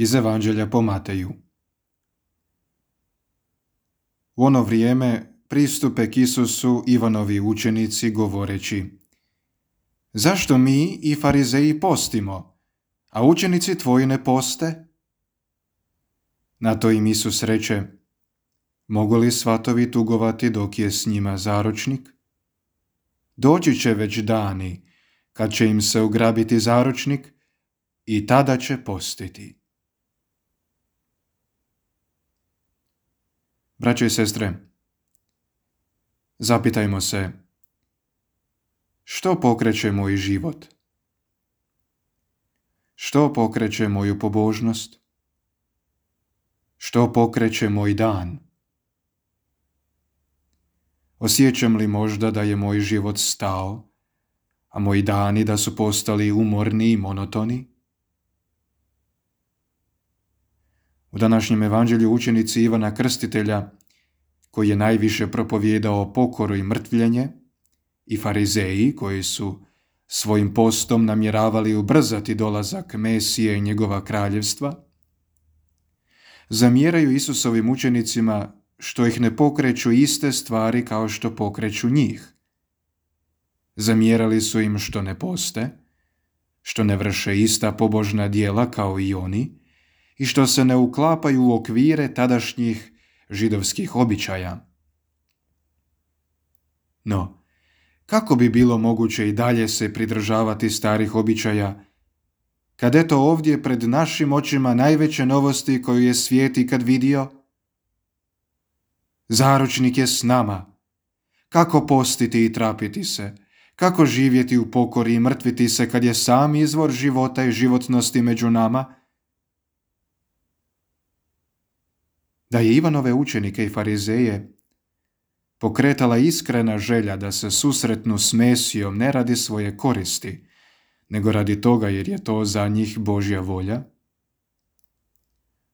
Iz Evanđelja po Mateju. U ono vrijeme pristupe k Isusu Ivanovi učenici govoreći: Zašto mi i farizeji postimo, a učenici tvoji ne poste? Na to im Isus reče: Mogu li svatovi tugovati dok je s njima zaročnik? Doći će već dani kad će im se ugrabiti zaročnik i tada će postiti. Braćo i sestre, zapitajmo se, što pokreće moj život? Što pokreće moju pobožnost? Što pokreće moj dan? Osjećam li možda da je moj život stao, a moji dani da su postali umorni i monotoni? U današnjem evanđelju učenici Ivana Krstitelja, koji je najviše propovijedao pokoru i mrtvljenje, i farizeji koji su svojim postom namjeravali ubrzati dolazak Mesije i njegova kraljevstva, zamjeraju Isusovim učenicima što ih ne pokreću iste stvari kao što pokreću njih. Zamjerali su im što ne poste, što ne vrše ista pobožna djela kao i oni i što se ne uklapaju u okvire tadašnjih židovskih običaja. No, kako bi bilo moguće i dalje se pridržavati starih običaja, kad eto ovdje pred našim očima najveće novosti koju je svijet ikad vidio? Zaročnik je s nama. Kako postiti i trapiti se? Kako živjeti u pokori i mrtviti se kad je sam izvor života i životnosti među nama? Da je Ivanove učenike i farizeje pokretala iskrena želja da se susretnu s Mesijom ne radi svoje koristi, nego radi toga jer je to za njih Božja volja,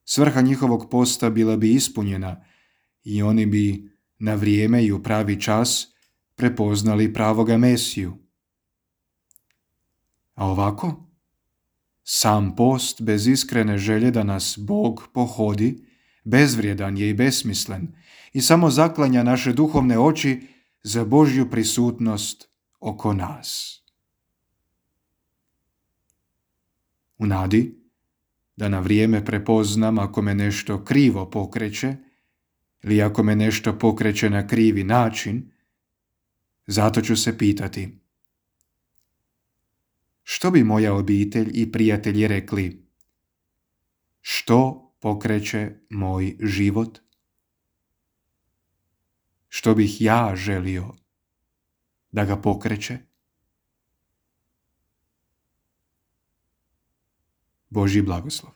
svrha njihovog posta bila bi ispunjena i oni bi na vrijeme i u pravi čas prepoznali pravoga Mesiju. A ovako, sam post bez iskrene želje da nas Bog pohodi bezvrijedan je i besmislen i samo zaklanja naše duhovne oči za Božju prisutnost oko nas. U nadi da na vrijeme prepoznam ako me nešto krivo pokreće ili ako me nešto pokreće na krivi način, zato ću se pitati: što bi moja obitelj i prijatelji rekli? Što pokreće moj život? Što bih ja želio da ga pokreće? Božji blagoslov.